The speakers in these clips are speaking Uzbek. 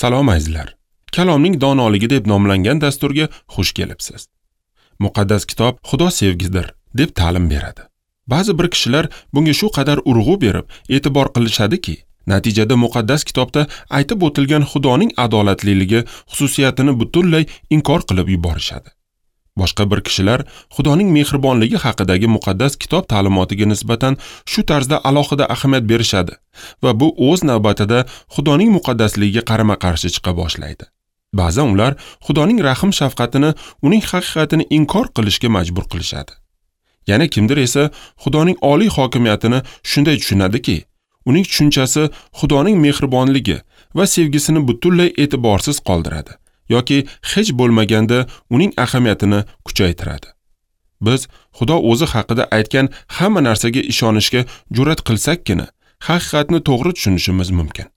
Salom azizlar. Kalomning donoligi deb nomlangan dasturga xush kelibsiz. Muqaddas kitob Xudo sevgidir deb ta'lim beradi. Ba'zi bir kishilar bunga shu qadar urg'u berib, e'tibor qilishadiki, natijada muqaddas kitobda aytib o'tilgan Xudoning adolatliligi xususiyatini butunlay inkor qilib yuborishadi. Boshqa bir kishilar Xudoning mehribonligi haqidagi muqaddas kitob ta'limotiga nisbatan shu tarzda alohida ahamiyat berishadi va bu o'z navbatida Xudoning muqaddasligiga qarama-qarshi chiqa boshlaydi. Ba'zan ular Xudoning rahm-shafqatini, uning haqiqatini inkor qilishga majbur qilishadi. Yana kimdir esa Xudoning oliy hokimiyatini shunday tushunadiki, uning tushunchasi Xudoning mehribonligi va sevgisini butunlay e'tiborsiz qoldiradi yoki hech bo'lmaganda uning ahamiyatini kuchaytiradi. Biz Xudo o'zi haqida aytgan hamma narsaga ishonishga jur'at qilsakkina, haqiqatni to'g'ri tushunishimiz mumkin.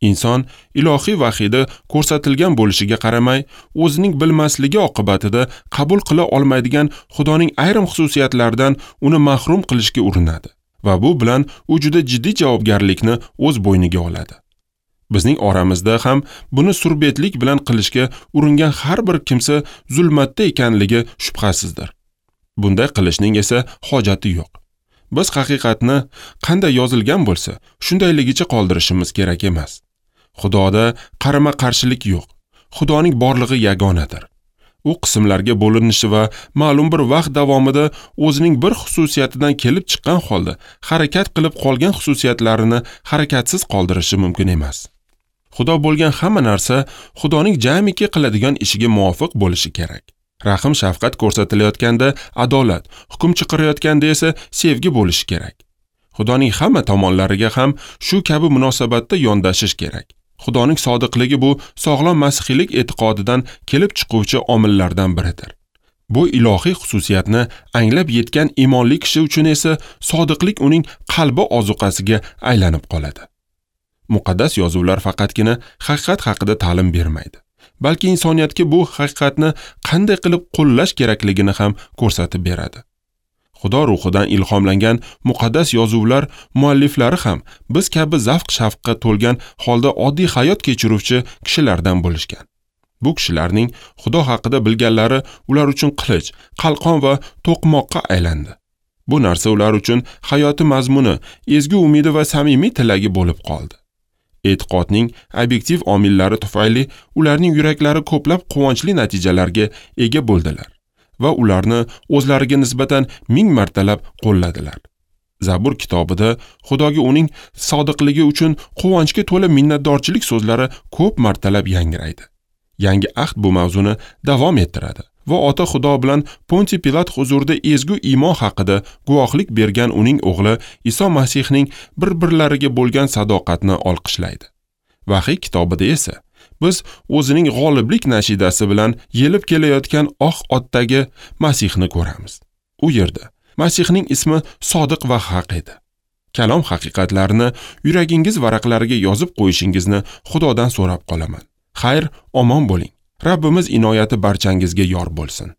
Inson ilohiy vahiyda ko'rsatilgan bo'lishiga qaramay, o'zining bilmasligi oqibatida qabul qila olmaydigan Xudoning ayrim xususiyatlaridan uni mahrum qilishga urinadi va bu bilan u juda jiddiy javobgarlikni o'z bo'yniga oladi. Bizning oramizda ham buni surbetlik bilan qilishga uringan har bir kimsa zulmatda ekanligi shubhasizdir. Bunday qilishning esa hojati yo'q. Biz haqiqatni qanday yozilgan bo'lsa, shundayligicha qoldirishimiz kerak emas. Xudoda qarama-qarshilik yo'q. Xudoning borlig'i yagonadir. U qismlarga bo'linishi va ma'lum bir vaqt davomida o'zining bir xususiyatidan kelib chiqqan holda harakat qilib qolgan xususiyatlarini harakatsiz qoldirishi mumkin emas. Xudo bo'lgan hamma narsa Xudoning jamiki qiladigan ishiga muvofiq bo'lishi kerak. Rahm shafqat ko'rsatilayotganda adolat, hukm chiqarayotganda esa sevgi bo'lishi kerak. Xudoning hamma tomonlariga ham shu kabi munosabatda yondashish kerak. Xudoning sodiqligi bu sog'lom masihiylik e'tiqodidan kelib chiquvchi omillardan biridir. Bu ilohiy xususiyatni anglab yetgan iymonli kishi uchun esa sodiqlik uning qalbi ozuqasiga aylanib qoladi. Muqaddas yozuvlar faqatgina haqiqat haqida ta'lim bermaydi, balki insoniyatga bu haqiqatni qanday qilib qo'llash kerakligini ham ko'rsatib beradi. Xudo ruhidan ilhomlangan muqaddas yozuvlar mualliflari ham biz kabi zavq-shavqqa to'lgan holda oddiy hayot kechiruvchi kishilardan bo'lishgan. Bu kishilarning Xudo haqida bilganlari ular uchun qilich, qalqon va to'qmoqqa aylandi. Bu narsa ular uchun hayoti mazmuni, ezgu umidi va samimiy tilagi bo'lib qoldi. E'tiqodning obyektiv omillari tufayli ularning yuraklari ko'plab quvonchli natijalarga ega bo'ldilar va ularni o'zlariga nisbatan 1000 martalab qo'lladilar. Zabur kitobida Xudoga uning sodiqligi uchun quvonchga to'la minnatdorchilik so'zlari ko'p martalab yangraydi. Yangi ahd bu mavzuni davom ettiradi va ota Xudo bilan Ponti Pilat huzurida ezgu iymon haqida guvohlik bergan uning o'g'li Iso Masihning bir-birlariga bo'lgan sadoqatni olqishlaydi. Vahiy kitobida esa biz o'zining g'oliblik nashidasi bilan yelib kelayotgan oq otdagi Masihni ko'ramiz. U yerda Masihning ismi sodiq va haq edi. Kalom haqiqatlarini yuragingiz varaqlariga yozib qo'yishingizni Xudodan so'rab qolaman. Xayr, omon bo'ling. Rabbimiz inoyati barchangizga yor bo'lsin.